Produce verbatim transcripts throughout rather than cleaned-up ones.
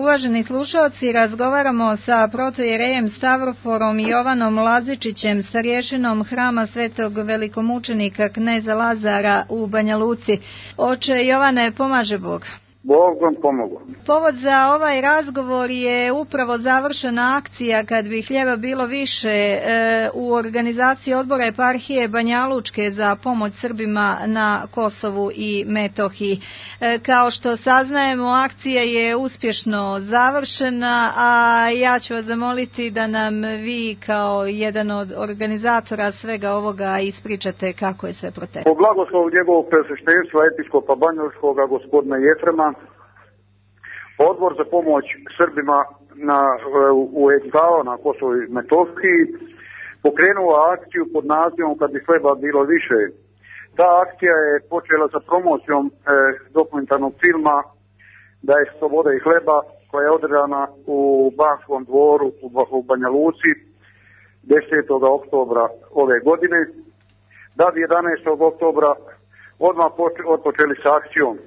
uvaženi slušalci, razgovaramo sa protojerejem Stavroforom Jovanom Lazičićem, starješinom Hrama Svetog velikomučenika kneza Lazara u Banja Luci. Oče Jovane, pomaže Bog. Bog vam pomogu. Povod za ovaj razgovor je upravo završena akcija Kad bi hljeba bilo više e, u organizaciji odbora eparhije Banja Lučke za pomoć Srbima na Kosovu i Metohiji. E, kao što saznajemo, akcija je uspješno završena, a ja ću vas zamoliti da nam vi kao jedan od organizatora svega ovoga ispričate kako je sve proteklo. Po blagoslovu njegovog presveštenstva episkopa banjalučkoga gospodina Jefrema, Odbor za pomoć Srbima na, u enklavama na Kosovu i Metohiji pokrenuo akciju pod nazivom Kad bi hleba bilo više. Ta akcija je počela sa promocijom e, dokumentarnog filma Da je sloboda i hleba, koja je održana u Banskom dvoru u, u Banja Luci desetog oktobra ove godine, da bi jedanaestog oktobra odmah odpočeli sa akcijom.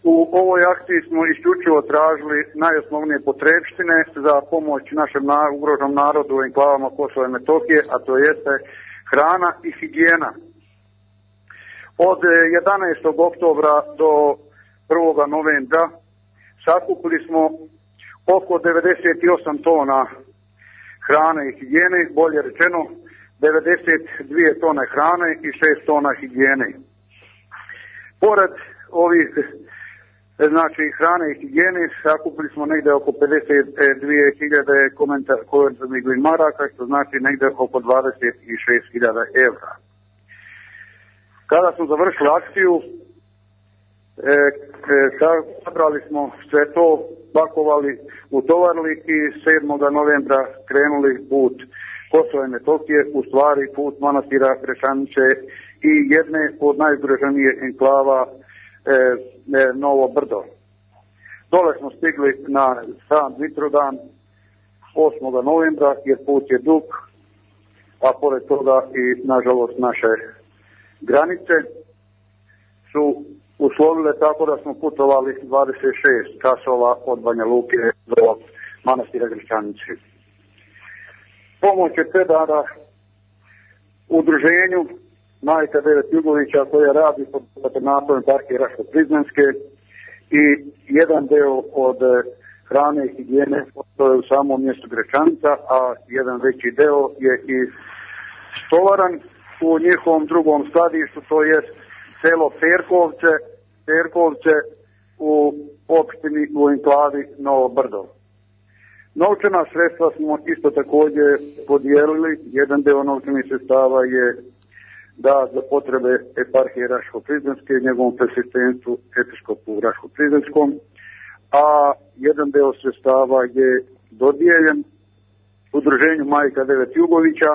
U ovoj akciji smo isključivo tražili najosnovnije potrebštine za pomoć našem ugroženom narodu u enklavama Kosova i Metohije, a to jeste hrana i higijena. Od jedanaestog oktobra do prvog novembra sakupili smo oko devedeset osam tona hrane i higijene, bolje rečeno devedeset dvije tone hrane i šest tona higijene. Pored ovih znači hrane i higijene sakupili smo negdje oko pedeset dvije hiljade komentarnih maraka, što znači negdje oko dvadeset šest hiljada evra. Kada smo završili akciju, e, e, sabrali smo sve to, pakovali, utovarili i sedmog novembra krenuli put Kosova i Metohije, u stvari put manastira Grešanice i jedne od najugroženije enklava E, e, Novo Brdo. Dole smo stigli na sam Mitrovdan osmog novembra, jer put je dug, a pored toga i nažalost naše granice su uslovile tako da smo putovali dvadeset šest časova od Banja Luke do manastira Grešanice. Pomoć je predana udruženju Majka Devet Jugovića, koja radi pod patronatom eparhije Raško-Prizrenske, i jedan deo od hrane i higijene to je u samom mjestu Grečanica, a jedan veći deo je i stovaran u njihovom drugom skladištu, to je selo Perkovce, Perkovce u opštini u enklavi Novo Brdo. Novčana sredstva smo isto također podijelili. Jedan deo novčanih sredstava je da za potrebe eparhije Raško-Prizrenske, njegovom presveštenstvu episkopu Raško-Prizrenskom, a jedan deo sredstava je dodijeljen udruženju Majka Devet Jugovića,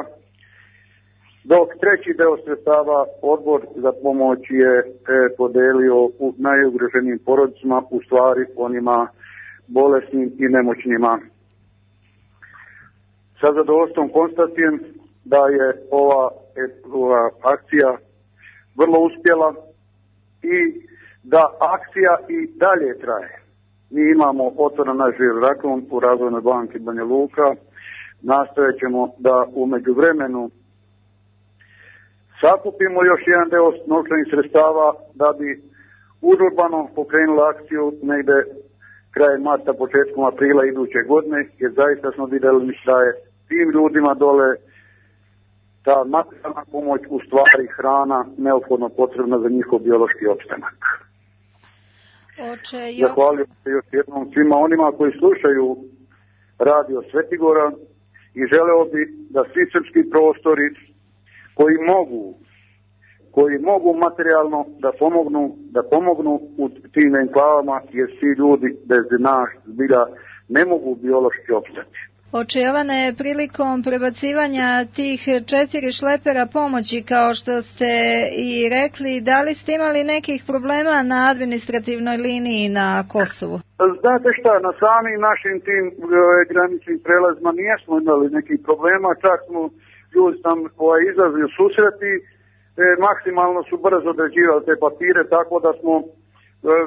dok treći deo sredstava Odbor za pomoć je e, podelio u najugroženijim porodicama, u stvari onima bolesnim i nemoćnima. Sa zadovoljstvom konstatujem da je ova ova akcija vrlo uspjela i da akcija i dalje traje. Mi imamo otvoren naš žiro račun u Razvojnoj banki Banja Luka. Nastojat ćemo da u međuvremenu sakupimo još jedan deo novčanih sredstava da bi užurbano pokrenuli akciju negde krajem marta, početkom aprila iduće godine, jer zaista smo vidjeli da je tim ljudima dole ta materijalna pomoć, u stvari hrana, neophodno potrebna za njihov biološki opstanak. Oče, jo... Zahvaljujem se još jednom svima onima koji slušaju radio Svetigora i želeo bi da svi srpski prostori koji mogu, koji mogu materijalno da pomognu, da pomognu u tim enklavama, jer svi ljudi bez nas zbilja ne mogu biološki opstati. Oče Jovane, prilikom prebacivanja tih četiri šlepera pomoći, kao što ste i rekli, da li ste imali nekih problema na administrativnoj liniji na Kosovu? Znate šta, na samim našim tim e, graničnim prelazima nismo imali nekih problema, čak smo ljudi tam ovaj, izlazili u susreti, e, maksimalno su brzo određivali te papire, tako da smo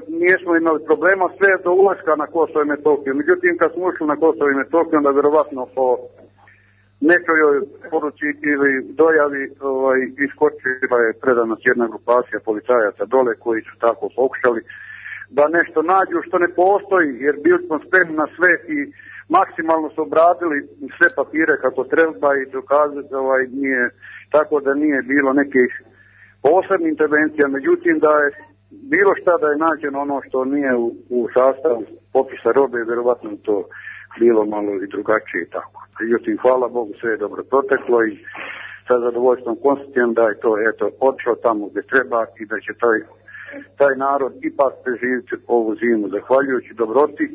nismo imali problema sve do ulaska na Kosovo i Metohiju. Međutim, kad smo ušli na Kosovo i Metohiju, onda vjerovatno po nekojoj poruci ili dojavi ovaj, iskočila je predanost jedna grupacija policajaca dole koji su tako pokušali da nešto nađu što ne postoji, jer bili smo spremni na sve i maksimalno su obradili sve papire kako treba i dokazati ovaj, nije, tako da nije bilo nekih posebnih intervencija, međutim da je bilo šta da je nađeno ono što nije u, u sastavu popisa robe, vjerovatno to bilo malo i drugačije i tako. Međutim, hvala Bogu, sve je dobro proteklo i sa zadovoljstvom konstatujem da je to eto odšlo tamo gdje treba i da će taj, taj narod ipak preživjeti ovu zimu zahvaljujući dobroti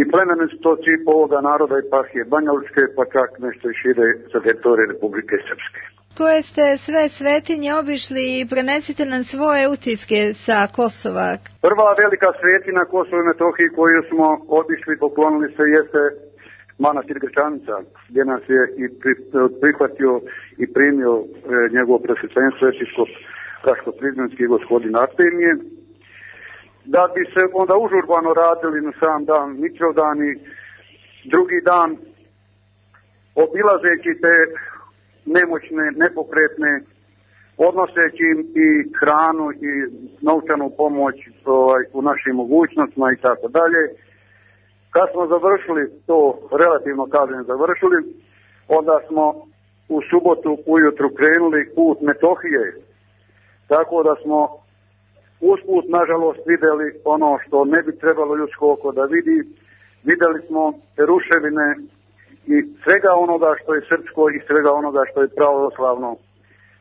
i plemenitosti ovoga naroda i eparhije Banjalučke, pa čak nešto i šire sa teritorije Republike Srpske. Koje ste sve svetinje obišli i prenesite nam svoje utiske sa Kosova? Prva velika svetina Kosovo i Metohiji koju smo obišli, poklonili se, jeste manastir Grčanica, gdje nas je i prihvatio i primio e, njegovo presvećenstvo episkop Raško-Prizrenski gospodin Artemije. Da bi se onda užurbano radili na sam dan Mitrovdan i drugi dan obilazeći te nemoćne, nepokretne, odnoseći im i hranu i novčanu pomoć ovaj, u našim mogućnostima i tako dalje. Kad smo završili to, relativno kažem završili, onda smo u subotu ujutru krenuli put Metohije, tako da smo usput nažalost vidjeli ono što ne bi trebalo ljudsko oko da vidi. Vidjeli smo ruševine i svega onoga što je srpsko i svega onoga što je pravoslavno.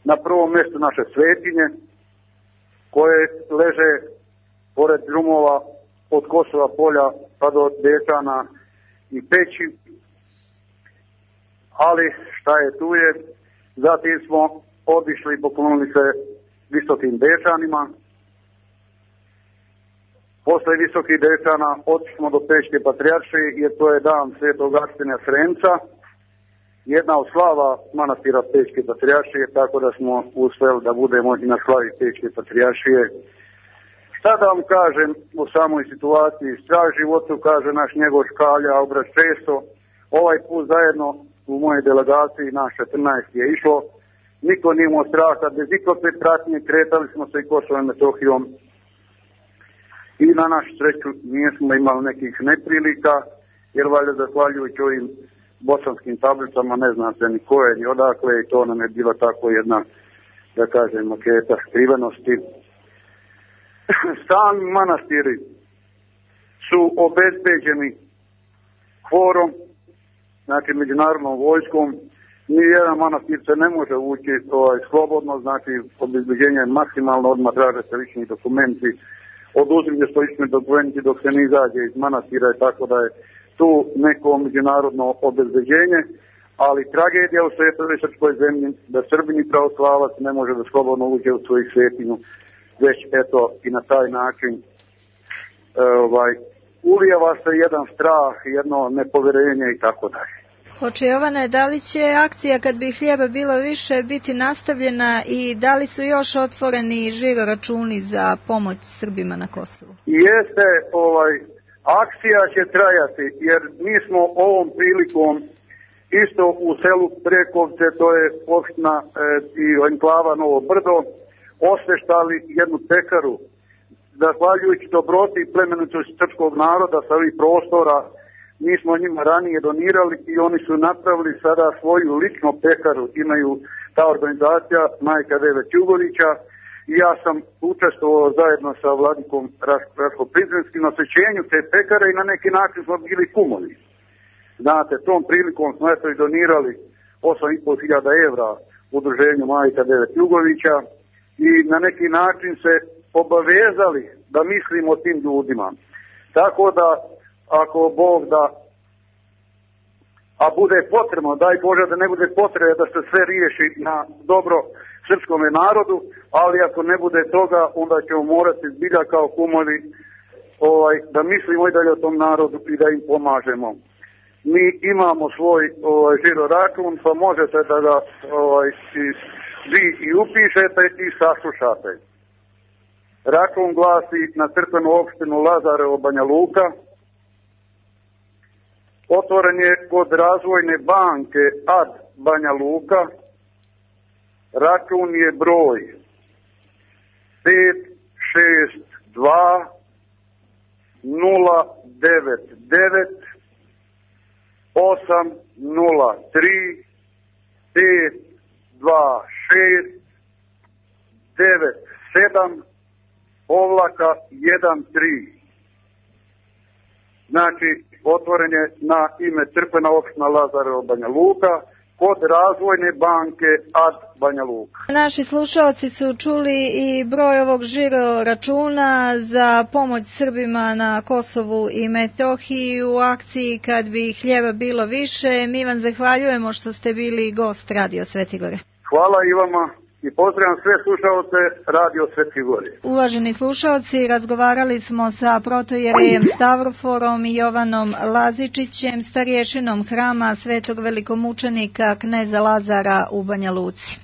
Na prvom mjestu naše svetinje koje leže pored drumova od Kosova polja pa do Dečana i Peći, ali šta je tu je. Zatim smo obišli i poklonili se visokim Dečanima. Posle visokih Dečana otišli smo do Peške patrijaršije, jer to je dan svetog Arsena Sremca, jedna od slava manastira Peške patrijaršije, tako da smo uspjeli da budemo i na slavi Peške patrijaršije. Šta da vam kažem o samoj situaciji? Strah životu, kaže naš njegov Škalja, obraz često. Ovaj put zajedno u mojej delegaciji, naš četrnaest je išlo. Niko nije imao straha, bez ikakve pratnje kretali smo se i Kosovom i Metohijom. I na našu sreću nismo imali nekih neprilika, jer valjda zahvaljujući ovim bosanskim tablicama ne zna se ni koje ni odakle i to nam je bila tako jedna, da kažem, maketa skrivenosti. Sami manastiri su obezbeđeni kvorom, znači međunarodnom vojskom. Nijedan manastir se ne može ući ovaj, slobodno, znači obezbeđenje je maksimalno, odmah traže se lični dokumenti, oduzimlje su lični dokumenti dok se ne izađe iz manastira, tako da je tu neko međunarodno obezbeđenje, ali tragedija u svetoj srpskoj zemlji da Srbini pravoslavac ne može da slobodno uđe u svoju svetinju, već eto i na taj način e, ovaj, ulijeva se jedan strah, jedno nepoverenje i tako dalje. Oče Jovane, da li će akcija kad bi hljeba bilo više biti nastavljena i da li su još otvoreni žiro računi za pomoć Srbima na Kosovu? Jeste, ovaj, akcija će trajati jer mi smo ovom prilikom isto u selu Prekovce, to je opština e, i enklava Novo Brdo, osveštali jednu pekaru. Zahvaljujući dobroti i plemenitosti srpskog naroda sa ovih prostora, mi smo njima ranije donirali i oni su napravili sada svoju ličnu pekaru. Imaju ta organizacija Majka Deve Ćugovića i ja sam učestvovao zajedno sa vladikom Raško-Prizrenskim na svećenju te pekare i na neki način smo bili kumovi. Znate, tom prilikom smo eto i donirali osam i pol hiljada evra udruženju Majka Deve Ćugovića i na neki način se obavezali da mislimo o tim ljudima. Tako da ako Bog da, a bude potrebno, daj Bože da ne bude potrebe da se sve riješi na dobro srpskome narodu, ali ako ne bude toga, onda ćemo morati zbilja kao kumovi ovaj, da mislimo i dalje o tom narodu i da im pomažemo. Mi imamo svoj ovaj, žiro račun, pa možete da ga ovaj, vi i upišete i saslušate. Račun glasi na crkvenu opštinu Lazarevo, Banja Luka. Otvoren je kod Razvojne banke A D Banja Luka. Račun je broj pet šest dva nula devet devet osam nula tri pet dva šest devet sedam ovlaka jedan tri. Znači, otvoren je na ime crkvena opština Lazarevo, Banja Luka, kod Razvojne banke A D Banja Luka. Naši slušalci su čuli i broj ovog žiro računa za pomoć Srbima na Kosovu i Metohiji u akciji Kad bi hljeba bilo više. Mi vam zahvaljujemo što ste bili gost Radio Svetigore. Hvala i vama i pozdravljam sve slušalce Radio Svetigore. Uvaženi slušalci, razgovarali smo sa protojerejem Stavroforom i Jovanom Lazičićem, starješinom hrama Svetog velikomučenika kneza Lazara u Banja Luci.